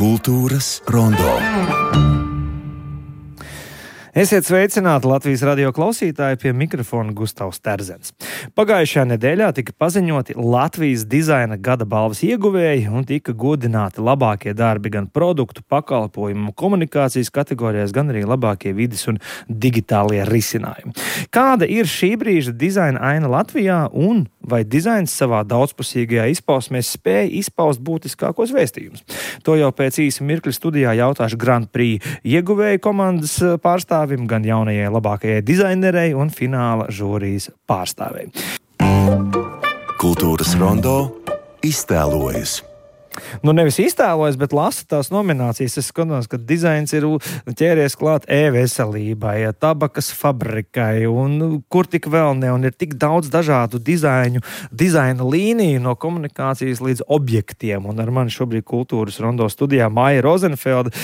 Kultūras rondo. Esiet sveicināti Latvijas radio klausītāji, pie mikrofona Gustavs Terzens. Pagājušajā nedēļā tika paziņoti Latvijas dizaina gada balvas ieguvēji un tika godināti labākie darbi gan produktu, pakalpojumu un komunikācijas kategorijās, gan arī labākie vides un digitālie risinājumi. Kāda ir šī brīža dizaina aina Latvijā un vai dizains savā daudzpusīgajā izpausmē spēja izpaust būtiskākos vēstījumus? To jau pēc īsa mirkļa studijā jautāšu Grand Prix ieguvēju komandas pārstāvim, gan jaunajai labākajai dizainerei un fināla žūrijas pārstāvei. Kultūras rondo iztēlojas. Nevis iztēlojas, bet lasu tās nominācijas. Es skatos, ka dizains ir ķēries klāt e-veselībai, tabakas fabrikai un kur tik vēl ne. Un ir tik daudz dažādu dizaina līniju no komunikācijas līdz objektiem. Un ar mani šobrīd Kultūras rondo studijā Maija Rozenfelda,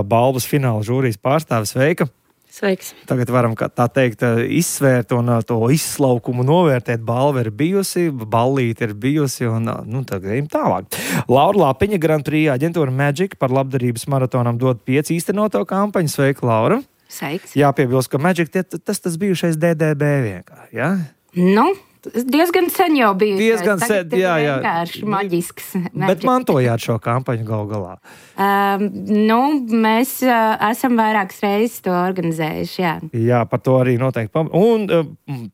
balvas fināla žūrijas pārstāve. Sveika! Sveiks. Tagad varam, tā teikt, izsvērt un to izslaukumu novērtēt. Balva ir bijusi, ballīte ir bijusi un tagad ejam tālāk. Laura Lapiņa, Grand Prix aģentūra Magic par labdarības maratonam dod 5 īstenoto kampaņu. Sveika, Laura. Sveiks. Jāpiebilst, ka Magic tas bijušais DDB vienkārši, jā? Diezgan sen jau biju. Diezgan sen, jā. Vienkārši maģisks. Bet mantojāt šo kampaņu gal galā. Mēs esam vairākas reizes to organizējuši, jā. Jā, par to arī noteikti. Un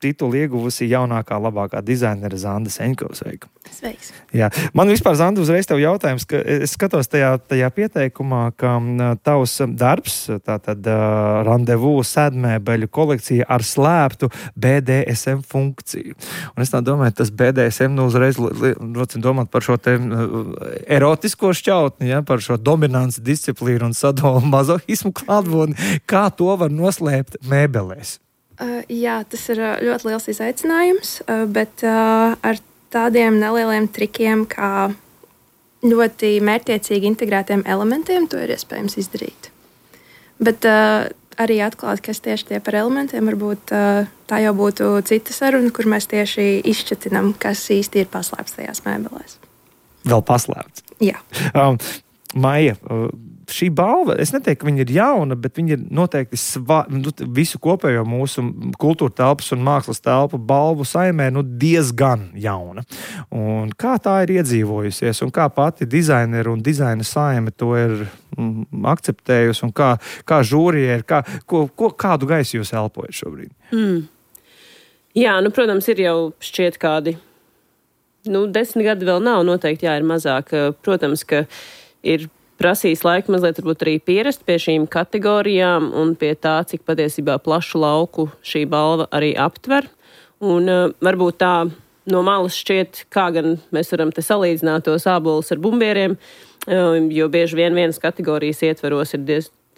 titulu ieguvusi jaunākā labākā dizainera Zanda Seņkova. Sveika. Sveiks. Jā. Man vispār, Zanda, uzreiz tev jautājums, ka es skatos tajā pieteikumā, ka tavs darbs, tātad randevu sēdmēbeļu kolekcija ar slēptu BDSM funkciju. Un es tā domāju, tas BDSM uzreiz domāt par šo te erotisko šķautni, ja, par šo dominants disciplīnu un sadomu mazohismu klātbūtni. Kā to var noslēpt mēbelēs? Jā, tas ir ļoti liels izaicinājums, bet ar tādiem nelieliem trikiem, kā ļoti mērķtiecīgi integrētiem elementiem, to ir iespējams izdarīt. Bet arī atklāt, kas tieši tie par elementiem, varbūt tā jau būtu cita saruna, kur mēs tieši izšķatinām, kas īsti ir paslēpts tajās mēbelēs. Vēl paslēpts? Jā. Maija, šī balva, es neteiktu, ka viņa ir jauna, bet viņa ir noteikti visu kopējo mūsu kultūra telpas un mākslas telpu balvu saimē diezgan jauna. Un kā tā ir iedzīvojusies un kā pati dizaineri un dizaina saime to ir akceptējusi un kā žūrija ir, kādu gaisu jūs elpojat šobrīd? Jā, protams, ir jau šķiet kādi 10 gadi vēl nav, noteikti jā, ir mazāk. Protams, ka ir prasījis laiku mazliet varbūt arī pierast pie šīm kategorijām un pie tā, cik patiesībā plašu lauku šī balva arī aptver. Un varbūt tā no malas šķiet, kā gan mēs varam te salīdzināt tos ābolus ar bumbieriem, jo bieži vien vienas kategorijas ietveros ir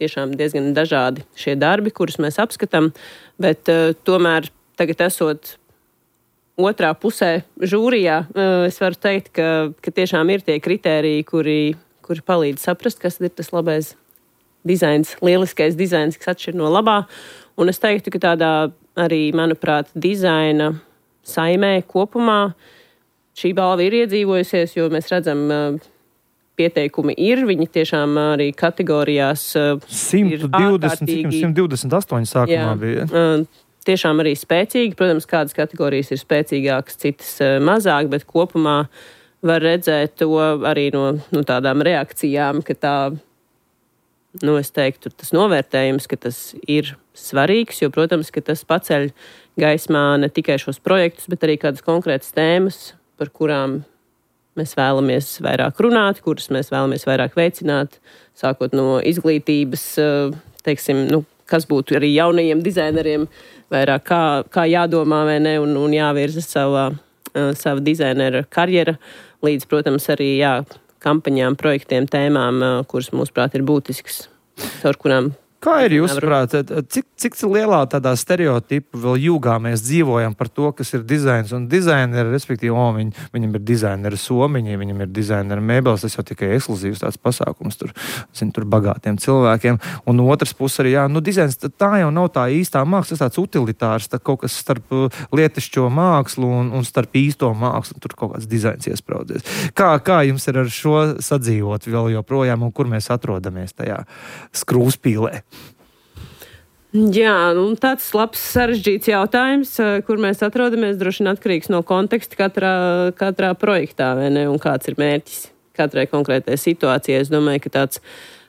tiešām diezgan dažādi šie darbi, kurus mēs apskatām, bet tomēr tagad esot otrā pusē žūrijā, es varu teikt, ka tiešām ir tie kritēriji, kuri palīdz saprast, kas ir tas labais dizains, lieliskais dizains, kas atšķir no labā. Un es teiktu, ka tādā arī, manuprāt, dizaina saimē kopumā šī balva ir iedzīvojusies, jo mēs redzam, pieteikumi ir, viņi tiešām arī kategorijās 128 sākumā bija. Tiešām arī spēcīgi. Protams, kādas kategorijas ir spēcīgākas, citas mazāk, bet kopumā var redzēt to arī no tādām reakcijām, ka tā, es teiktu, tas novērtējums, ka tas ir svarīgs, jo, protams, ka tas paceļ gaismā ne tikai šos projektus, bet arī kādas konkrētas tēmas, par kurām mēs vēlamies vairāk runāt, kuras mēs vēlamies vairāk veicināt, sākot no izglītības, kas būtu arī jaunajiem dizaineriem vairāk kā jādomā vai ne, un jāvirza sava dizainera karjera, līdz, protams, arī kampaņām, projektiem, tēmām, kuras, mūsuprāt, ir būtisks, caur kurām Kā ir jūsuprāt, cik lielā tādā stereotipu vēl jūgā mēs dzīvojam par to, kas ir dizains un dizaineri, respektīvi, viņam ir dizaineri somiņi, viņam ir dizaineri mēbeles, tas jau tikai ekskluzīvs tāds pasākums tur bagātiem cilvēkiem. Un no otras puses arī, dizains tā jau nav tā īstā māksla, tas tāds utilitārs, tā kaut kas starp lietišķo mākslu un starp īsto mākslu, tur kaut kāds dizains iespraudzies. Kā jums ir ar šo sadzīvot vēl joprojām un kur mēs atrodamies tajā skrūspīlē? Jā, tāds labs sarežģīts jautājums, kur mēs atrodamies, droši vien atkarīgs no konteksta katrā projektā, vai ne, un kāds ir mērķis katrai konkrētai situācijai. Es domāju, ka tāds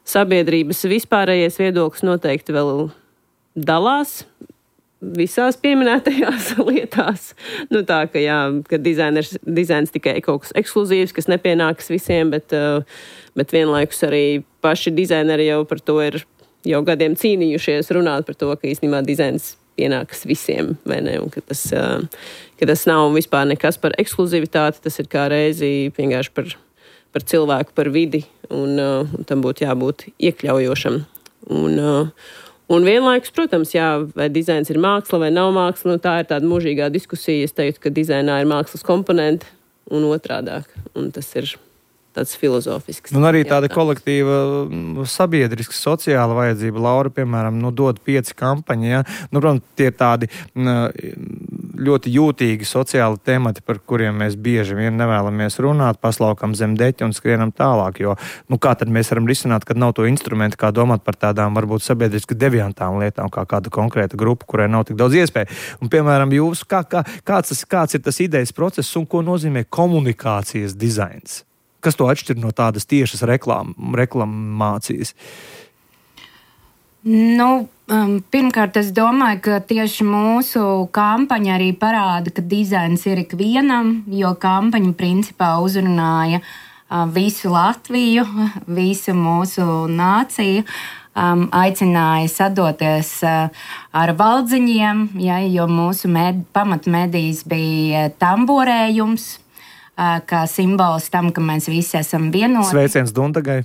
sabiedrības vispārējais viedoklis noteikti vēl dalās visās pieminētajās lietās. Tā, ka dizains tikai kaut kas ekskluzīvs, kas nepienākas visiem, bet vienlaikus arī paši dizaineri jau par to ir jau gadiem cīnījušies runāt par to, ka īstenībā dizains pienākas visiem, vai ne, un ka tas nav vispār nekas par ekskluzivitāti, tas ir kā reizi vienkārši par cilvēku, par vidi, un tam būtu jābūt iekļaujošam. Un vienlaikus, protams, vai dizains ir māksla vai nav māksla, tā ir tāda mūžīgā diskusija. Es teiktu, ka dizainā ir mākslas komponenti un otrādāk, un tas ir tāds filozofisks. Un arī tāda kolektīva sabiedriska sociāla vajadzība. Laura, piemēram, dod 5 kampaņi, ja? Protams, tie ir tādi ļoti jūtīgi sociāli temati, par kuriem mēs bieži vien nevēlamies runāt, paslaukam zem deķa un skrienam tālāk, jo, kā tad mēs varam risināt, kad nav to instrumentu, kā domāt par tādām, varbūt sabiedriski deviantām lietām, kā kāda konkrēta grupa, kurai nav tik daudz iespēju. Un, piemēram, jūs, kāds ir tas idejas process un ko nozīmē komunikācijas dizains? Kas to atšķir no tādas tiešas reklamācijas? Pirmkārt, es domāju, ka tieši mūsu kampaņa arī parāda, ka dizains ir ikvienam, jo kampaņa principā uzrunāja visu Latviju, visu mūsu nāciju, aicināja sadoties ar valdziņiem, jo mūsu pamatmedijas bija tamborējums, kā simbols tam, ka mēs visi esam vienoti. Sveiciens Dundagai.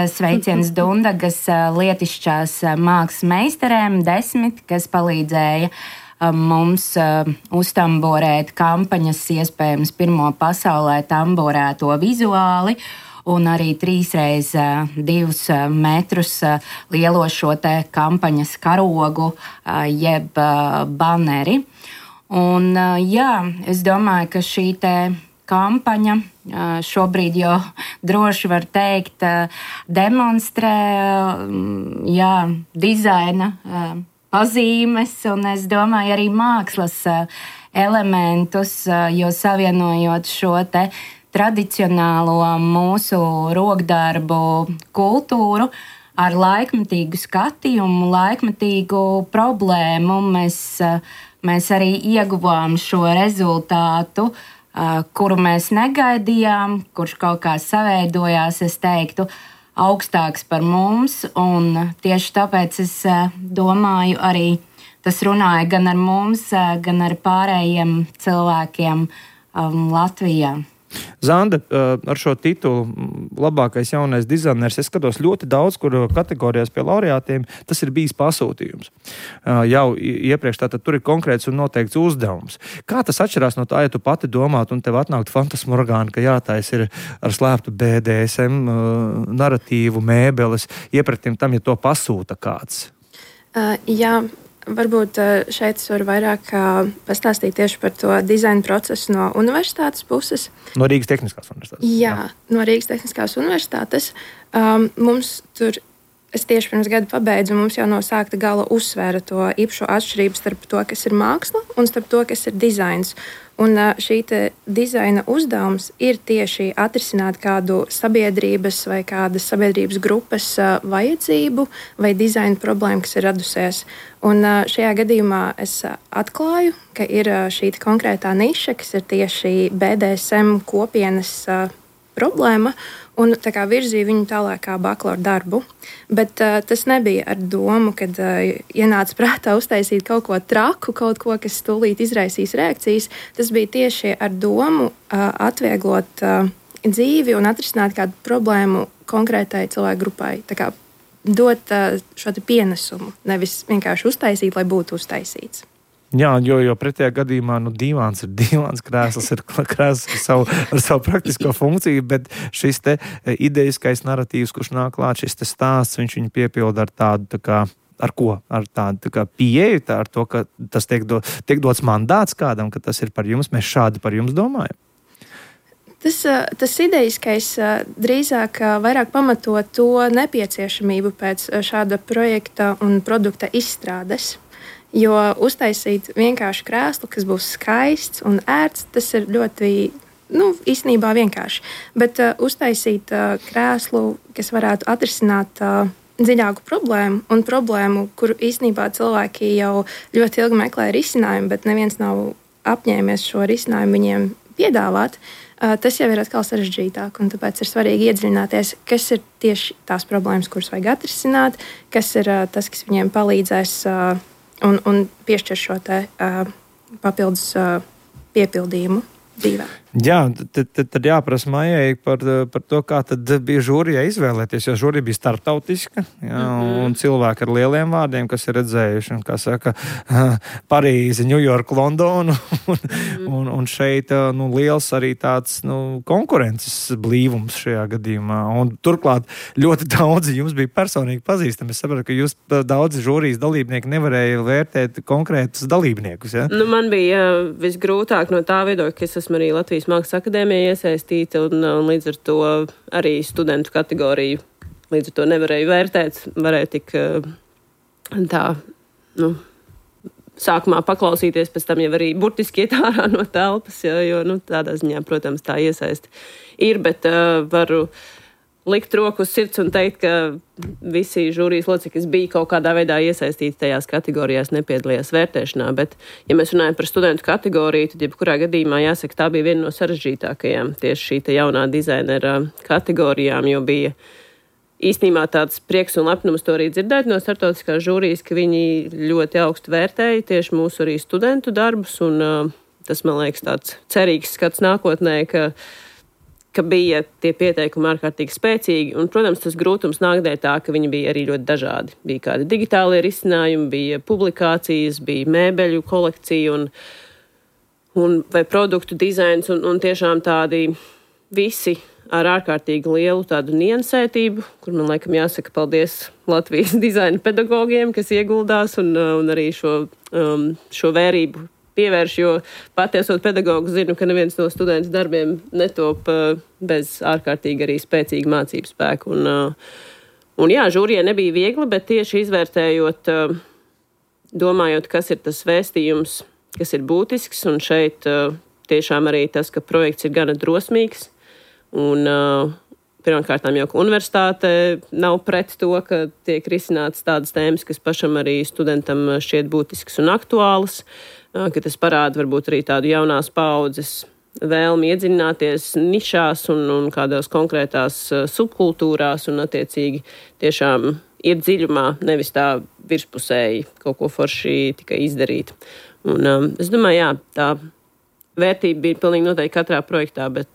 Sveiciens Dundagas lietišķās mākslas meistarēm 10, kas palīdzēja mums uztamborēt kampaņas, iespējams, pirmo pasaulē tamborēto vizuāli, un arī 3x2 metrus lielo šo te kampaņas karogu, jeb baneri. Un es domāju, ka šī te kampaņa šobrīd jau droši var teikt demonstrē dizaina pazīmes un es domāju arī mākslas elementus, jo savienojot šo te tradicionālo mūsu rokdarbu kultūru ar laikmetīgu skatījumu, laikmetīgu problēmu, mēs arī ieguvām šo rezultātu, kuru mēs negaidījām, kurš kaut kā saveidojās, es teiktu, augstāks par mums, un tieši tāpēc es domāju arī tas runāja gan ar mums, gan ar pārējiem cilvēkiem Latvijā. Zanda, ar šo titulu labākais jaunais dizainers, es skatos ļoti daudz, kur kategorijās pie laureātiem tas ir bijis pasūtījums. Jau iepriekš tātad tur ir konkrēts un noteikts uzdevums. Kā tas atšķirās no tā, ja tu pati domātu un tev atnāktu fantasmorgāna, ka jātais ir ar slēptu BDSM naratīvu, mēbeles, iepratim tam, ja to pasūta kāds? Varbūt šeit es varu vairāk pastāstīt tieši par to dizaina procesu no universitātes puses. No Rīgas Tehniskās universitātes? Jā, no Rīgas Tehniskās universitātes. Mums tur, es tieši pirms gada pabeidzu, mums jau no sākta gala uzsvēra to īpašo atšķirību starp to, kas ir māksla un starp to, kas ir dizains. Un šī dizaina uzdevums ir tieši atrisināt kādu sabiedrības vai kādas sabiedrības grupas vajadzību vai dizaina problēmu, kas ir radusies. Un šajā gadījumā es atklāju, ka ir šī konkrētā niša, kas ir tieši BDSM kopienas problēma, un tā kā virzīja viņu tālāk kā bakalaura darbu. Bet tas nebija ar domu, kad ienāca prātā uztaisīt kaut ko traku, kaut ko, kas tūlīt izraisīs reakcijas. Tas bija tieši ar domu atvieglot dzīvi un atrisināt kādu problēmu konkrētai cilvēku grupai. Tā kā dot šo pienesumu, nevis vienkārši uztaisīt, lai būtu uztaisīts. Jā, jo pretējā gadījumā dīvāns ir dīvāns, krēsls ir krēsls ar savu praktisko funkciju, bet šis te ideiskais narratīvs, kurš nāk klāt, šis te stāsts, viņš viņu piepilda ar tādu, ar ko? Ar tādu pieeju, ar to, ka tas tiek dots mandāts kādam, ka tas ir par jums, mēs šādi par jums domājam. Tas ideiskais drīzāk vairāk pamato to nepieciešamību pēc šāda projekta un produkta izstrādes. Jo uztaisīt vienkārši krēslu, kas būs skaists un ērts, tas ir ļoti, īstenībā vienkārši. Bet uztaisīt krēslu, kas varētu atrisināt dziļāku problēmu, kuru īstenībā cilvēki jau ļoti ilgi meklē risinājumu, bet neviens nav apņēmies šo risinājumu viņiem piedāvāt, tas jau ir atkal sarežģītāk, un tāpēc ir svarīgi iedziļināties, kas ir tieši tās problēmas, kuras vajag atrisināt, kas ir tas, kas viņiem palīdzēs un piešķir šo papildus piepildījumu dzīvē. Jā, tad jāprasa Maijai par to, kā tad bija žūrijai izvēlēties, jo žūrija bija starptautiska, un cilvēki ar lieliem vārdiem, kas ir redzējuši, un, kā saka, Parīzi, Ņujorku, Londonu, un šeit, liels arī tāds, konkurences blīvums šajā gadījumā, un turklāt ļoti daudzi jums bija personīgi pazīstami. Es saprotu, ka jūs daudzi žūrijas dalībnieki nevarēja vērtēt konkrētus dalībniekus, ja? Man bija visgrūtāk no tā viedokļa, ka es esmu arī Latvijas Mākslas akadēmijā iesaistīta un līdz ar to arī studentu kategoriju līdz ar to nevarēju vērtēt, varēju tik sākumā paklausīties, pēc tam jau arī burtiski iet ārā no telpas, jo tādā ziņā, protams, tā iesaist ir, bet varu likt roku uz sirds un teikt, ka visi žūrijas locekļi, kas bija kaut kādā veidā iesaistīti tajās kategorijās, nepiedalījās vērtēšanā, bet, ja mēs runājam par studentu kategoriju, tad jebkurā gadījumā jāsaka, tā bija viena no sarežģītākajām tieši šī te jaunā dizainera kategorijām, jo bija īstenībā tāds prieks un lepnums to arī dzirdēt no starptautiskās žūrijas, ka viņi ļoti augstu vērtēja tieši mūsu arī studentu darbus, un tas, man liekas, tāds cerīgs skats nākotnē, ka bija tie pieteikumi ārkārtīgi spēcīgi, un, protams, tas grūtums nāk dēļ tā, ka viņi bija arī ļoti dažādi. Bija kādi digitālie risinājumi, bija publikācijas, bija mēbeļu kolekcija vai produktu dizains, un tiešām tādi visi ar ārkārtīgi lielu tādu niansētību, kur man laikam jāsaka paldies Latvijas dizaina pedagogiem, kas ieguldās un arī šo vērību pievērš, jo pati esot pedagogu zinu, ka neviens no studentu darbiem netop bez ārkārtīgi arī spēcīga mācību spēku. Un jā, žūrijai nebija viegli, bet tieši izvērtējot, domājot, kas ir tas vēstījums, kas ir būtisks, un šeit tiešām arī tas, ka projekts ir gana drosmīgs, un pirmkārtām jau, ka universitāte nav pret to, ka tiek risināts tādas tēmas, kas pašam arī studentam šķiet būtisks un aktuāls, ka tas parāda varbūt arī tādu jaunās paaudzes vēlmi iedziļināties nišās un kādās konkrētās subkultūrās un attiecīgi tiešām iet dziļumā, nevis tā virspusēji kaut ko forši tikai izdarīt. Un es domāju, jā, tā vērtība bija pilnīgi noteikti katrā projektā, bet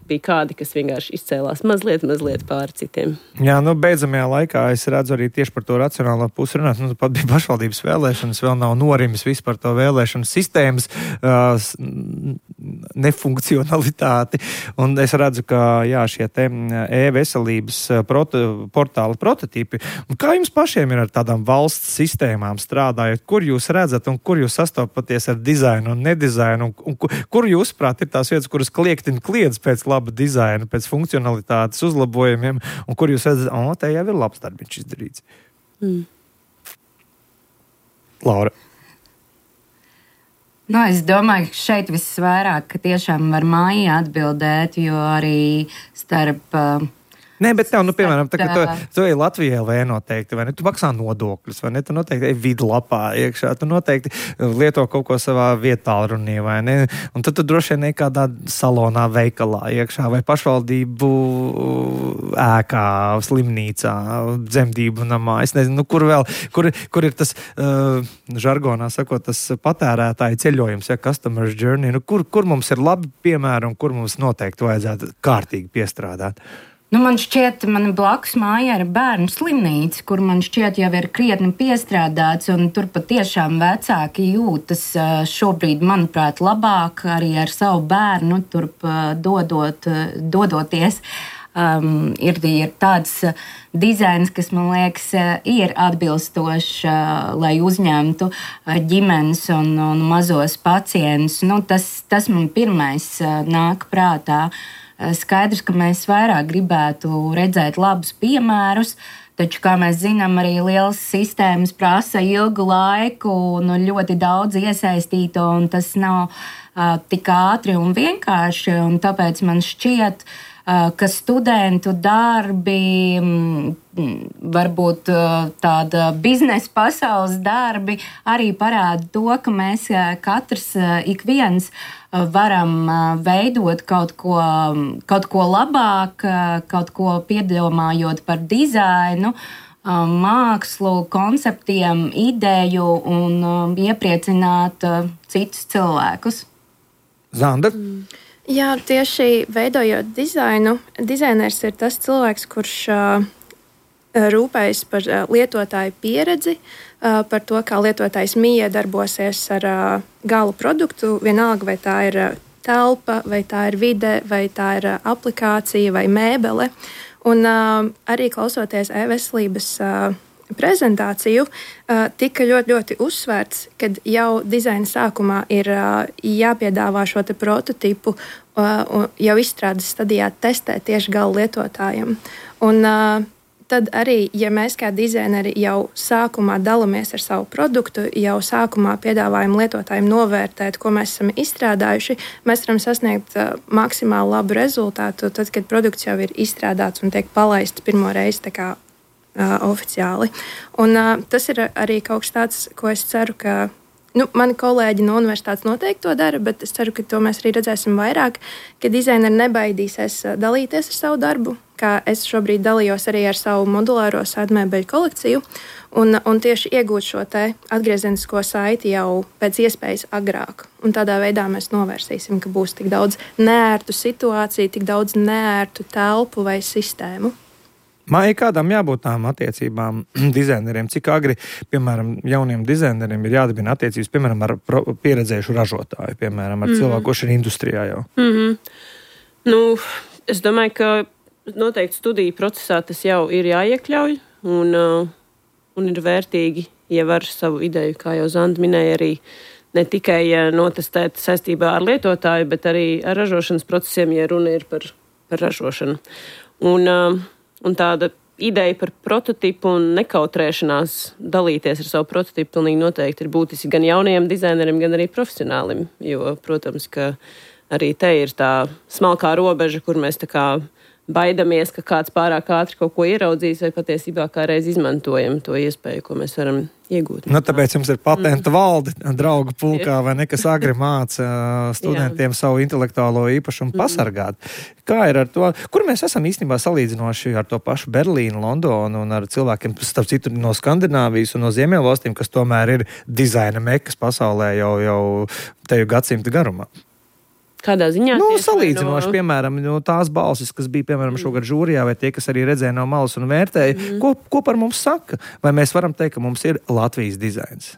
bija kādi, kas vienkārši izcēlās mazliet pāri citiem. Jā, beidzamajā laikā es redzu arī tieši par to racionālo pusi runāt. Pat bija pašvaldības vēlēšanas, vēl nav norimis vispār to vēlēšanu sistēmas nefunkcionalitāti. Un es redzu, ka šie te e-veselības portāla prototipi. Un kā jums pašiem ir ar tādām valsts sistēmām strādājot? Kur jūs redzat un kur jūs sastopaties ar dizainu un nedizainu? Un kur jūs, prāt, ir tās vietas, kuras kliedz pēc laba dizaina, pēc funkcionalitātes uzlabojumiem, un kur jūs redzat, te jau ir labs darbiņš izdarīts. Laura. Es domāju, ka šeit visvairāk, ka tiešām var Maija atbildēt, jo arī starp... Nē, bet tev, piemēram, tā, ka tu ej Latvijā LV noteikti, vai ne? Tu maksā nodokļus, vai ne? Tu noteikti ej vidlapā iekšā, tu noteikti lieto kaut ko savā vietā runī, vai ne? Un tad tu droši vien ej kādā salonā, veikalā iekšā, vai pašvaldību ēkā, slimnīcā, dzemdību namā. Es nezinu, kur vēl, kur ir tas, žargonā sakot, tas patērētāju ceļojums, customer's journey, kur mums ir labi piemēri un kur mums noteikti vajadzētu kārtīgi piestrādāt? Man šķiet, man blakus mājā ir bērnu slimnīca, kur man šķiet jau ir krietni piestrādāts, un tur patiešām vecāki jūtas šobrīd, manuprāt, labāk arī ar savu bērnu turp dodoties. Ir tāds dizains, kas, man liekas, ir atbilstošs, lai uzņemtu ģimenes un mazos pacientus. Tas man pirmais nāk prātā. Skaidrs, ka mēs vairāk gribētu redzēt labus piemērus, taču, kā mēs zinām, arī lielas sistēmas prasa ilgu laiku un ļoti daudz iesaistīto, un tas nav tik ātri un vienkārši. Un tāpēc man šķiet, ka studentu darbi, varbūt tāda biznesa pasaules darbi, arī parāda to, ka mēs katrs, ik viens, varam veidot kaut ko labāk, kaut ko piedomājot par dizainu, mākslu, konceptiem, ideju un iepriecināt citus cilvēkus. Zanda? Jā, tieši veidojot dizainu, dizainers ir tas cilvēks, kurš rūpējas par lietotāju pieredzi, par to, kā lietotājs miedarbosies ar gala produktu, vienalga vai tā ir telpa, vai tā ir vide, vai tā ir aplikācija vai mēbele. Un arī klausoties e-veselības prezentāciju, tika ļoti uzsvērts, ka jau dizaina sākumā ir jāpiedāvā šo te prototipu jau izstrādes stadijā testēt tieši gala lietotājiem. Un tad arī, ja mēs kā dizaineri jau sākumā dalāmies ar savu produktu, jau sākumā piedāvājam lietotājiem novērtēt, ko mēs esam izstrādājuši, mēs varam sasniegt maksimāli labu rezultātu, tad, kad produkts jau ir izstrādāts un tiek palaists pirmo reizi tā kā oficiāli. Un tas ir arī kaut kas tāds, ko es ceru, ka mani kolēģi no universitātes noteikti to dara, bet es ceru, ka to mēs arī redzēsim vairāk, ka dizaineri nebaidīsies dalīties ar savu darbu, kā es šobrīd dalījos arī ar savu modulāro sēdmēbeļu kolekciju, un tieši iegūt šo te atgriezenisko saiti jau pēc iespējas agrāk. Un tādā veidā mēs novērsīsim, ka būs tik daudz neērtu situāciju, tik daudz neērtu telpu vai sistēmu. Māja, kādām jābūt tām attiecībām dizaineriem? Cik agri, piemēram, jauniem dizaineriem ir jādibina attiecības, piemēram, ar pieredzējušu ražotāju, piemēram, ar cilvēku, kurš ir industrijā jau? Es domāju, ka noteikti studiju procesā tas jau ir jāiekļauj, un ir vērtīgi, ja var savu ideju, kā jau Zanda minēja, arī ne tikai notestēt saistībā ar lietotāju, bet arī ar ražošanas procesiem, ja runa ir par ražošanu. Un tāda ideja par prototipu un nekautrēšanās dalīties ar savu prototipu pilnīgi noteikti ir būtiski gan jaunajiem dizaineriem, gan arī profesionālim. Jo, protams, ka arī te ir tā smalkā robeža, kur mēs tā kā baidamies, ka kāds pārāk ātri kaut ko ieraudzīs, vai patiesībā kā reiz izmantojam to iespēju, ko mēs varam iegūt. Tāpēc jums ir patentu valde, draugu pulkā, vai ne, kas agri māca studentiem savu intelektuālo īpašumu pasargāt. Kā ir ar to? Kur mēs esam īstenībā salīdzinoši ar to pašu Berlīnu, Londonu un ar cilvēkiem, starp citu, no Skandināvijas un no Ziemeļvalstīm, kas tomēr ir dizaina mekas pasaulē jau teju gadsimta garumā? Kādā ziņā? Salīdzinoši, piemēram, tās balsis, kas bija, piemēram, šogad žūrijā, vai tie, kas arī redzēja no malas un vērtēja, ko par mums saka? Vai mēs varam teikt, ka mums ir Latvijas dizains?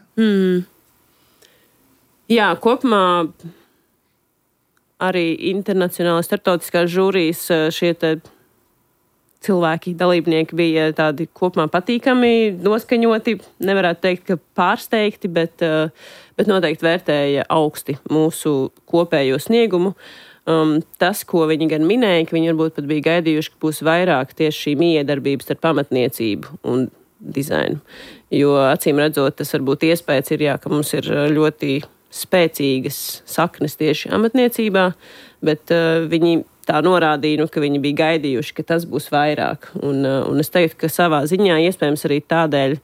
Jā, kopumā arī internacionāli starptautiskās žūrijas šie cilvēki, dalībnieki bija tādi kopumā patīkami, noskaņoti, nevarētu teikt, ka pārsteigti, bet noteikti vērtēja augsti mūsu kopējo sniegumu. Tas, ko viņi gan minēja, ka viņi varbūt pat bija gaidījuši, ka būs vairāk tieši šī miedarbības starp pamatniecību un dizainu. Jo, acīm redzot, tas varbūt iespējas ir, ka mums ir ļoti spēcīgas saknes tieši amatniecībā, bet viņi tā norādīja, ka viņi bija gaidījuši, ka tas būs vairāk. Un es teiktu, ka savā ziņā iespējams arī tādēļ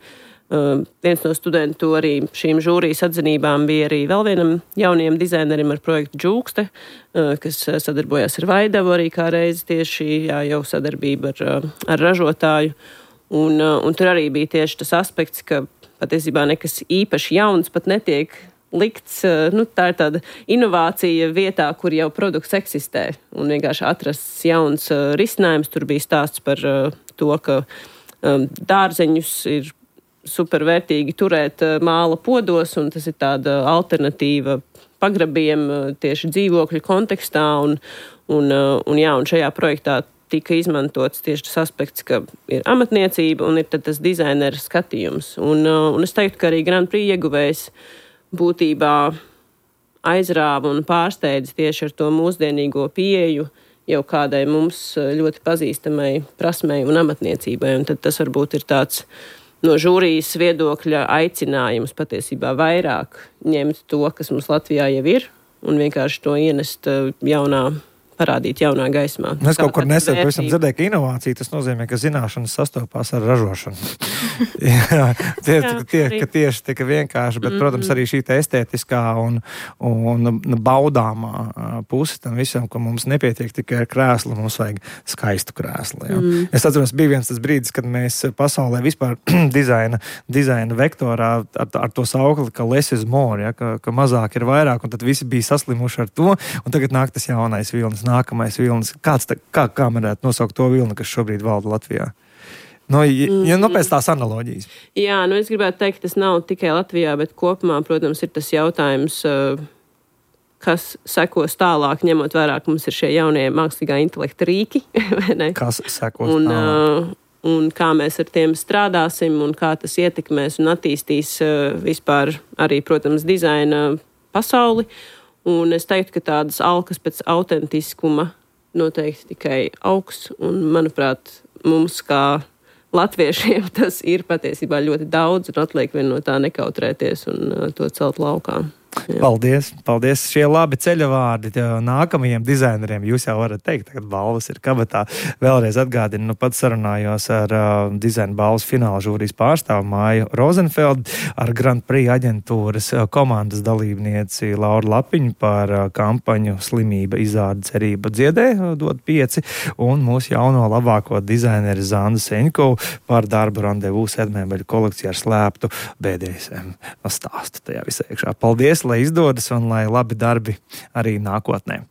viens no studentu arī šīm žūrijas atzinībām bija arī vēl vienam jaunajam dizainerim ar projektu Džūkste, kas sadarbojās ar Vaidavu arī kā reizi tieši jau sadarbība ar ražotāju. Un tur arī bija tieši tas aspekts, ka patiesībā nekas īpaši jauns pat netiek likts, tā ir tāda inovācija vietā, kur jau produkts eksistē, un vienkārši atrasts jauns risinājums. Tur bija stāsts par to, ka dārzeņus ir supervērtīgi turēt māla podos, un tas ir tāda alternatīva pagrabiem tieši dzīvokļu kontekstā, un šajā projektā tika izmantots tieši tas aspekts, ka ir amatniecība un ir tad tas dizaineru skatījums. Un es teiktu, ka arī Grand Prix ieguvējs būtībā aizrāva un pārsteidza tieši ar to mūsdienīgo pieeju jau kādai mums ļoti pazīstamai prasmei un amatniecībai. Un tad tas varbūt ir tāds no žūrijas viedokļa aicinājums patiesībā vairāk ņemt to, kas mums Latvijā jau ir, un vienkārši to ienest parādīt jaunā gaismā. Es kaut kur nesen dzirdēju, ka inovācija tas nozīmē, ka zināšanas sastopās ar ražošanu. Jā, tieši tika vienkārši, bet, protams, arī šī estētiskā un baudāmā puse tam visam, ka mums nepietiek tikai ar krēslu, mums vajag skaistu krēslu. Jā. Es atceros, bija viens tas brīdis, kad mēs pasaulē vispār dizaina vektorā ar to saukli, ka less is more, ja, ka mazāk ir vairāk, un tad visi bija saslimuši ar to, un tagad nāk tas jaunais vilnis. Nākamais vilnis. Kā varētu nosaukt to vilni, kas šobrīd valda Latvijā? Pēc tās analoģijas. Jā, es gribētu teikt, ka tas nav tikai Latvijā, bet kopumā, protams, ir tas jautājums, kas sekos tālāk, ņemot vērā, ka mums ir šie jaunie mākslīgā intelekta rīki. Kas sekos tālāk? Un kā mēs ar tiem strādāsim, un kā tas ietekmēs un attīstīs vispār arī, protams, dizaina pasauli. Un es teiktu, ka tādas alkas pēc autentiskuma noteikti tikai augs. Un, manuprāt, mums kā latviešiem tas ir patiesībā ļoti daudz, un atliek vien no tā nekautrēties un to celt laukā. Jā. Paldies. Šie labi ceļavārdi nākamajiem dizaineriem. Jūs jau varat teikt, ka balvas ir kabatā. Vēlreiz atgādinu, pats sarunājos ar dizaina balvas fināla žūrijas pārstāvu Māju Rozenfeldu, ar Grand Prix aģentūras komandas dalībnieci Lauru Lapiņu par kampaņu Slimība, izrāde, cerība, dziedē, dod 5, un mūsu jauno labāko dizaineru Zandu Seņkovu par darbu randevu Sedmēbeļu kolekciju ar slēptu BDSM stāstu tajā visā iekšā. Paldies! Lai izdodas un lai labi darbi arī nākotnē.